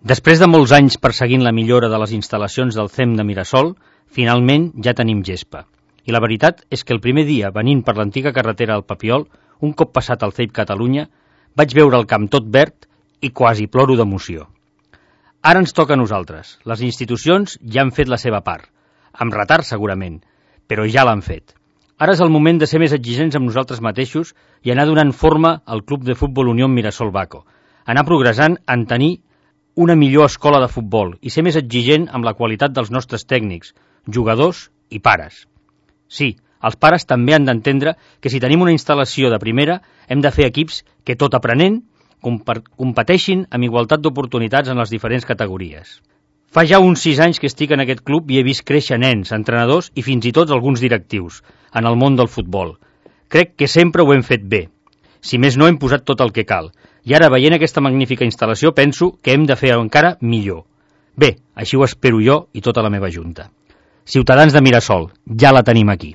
Després de molts anys perseguint la millora de les instal·lacions del CEM de Mirasol, finalment ja tenim gespa. I la veritat és que el primer dia, venint per l'antiga carretera al Papiol, un cop passat el CEIP Catalunya, vaig veure el camp tot verd i quasi ploro d'emoció. Ara ens toca a nosaltres. Les institucions ja han fet la seva part. Amb retard, segurament, però ja l'han fet. Ara és el moment de ser més exigents amb nosaltres mateixos i anar donant forma al Club de Futbol Unió Mirasol Baco. Anar progressant en tenir una millor escola de futbol i ser més exigent amb la qualitat dels nostres tècnics, jugadors i pares. Sí, els pares també han d'entendre que si tenim una instal·lació de primera hem de fer equips que, tot aprenent, competeixin amb igualtat d'oportunitats en les diferents categories. Fa ja uns 6 anys que estic en aquest club i he vist créixer nens, entrenadors i fins i tot alguns directius en el món del futbol. Crec que sempre ho hem fet bé. Si més no, hem posat tot el que cal. I ara, veient aquesta magnífica instal·lació, penso que hem de fer encara millor. Bé, així ho espero jo i tota la meva junta. Ciutadans de Mirasol, ja la tenim aquí.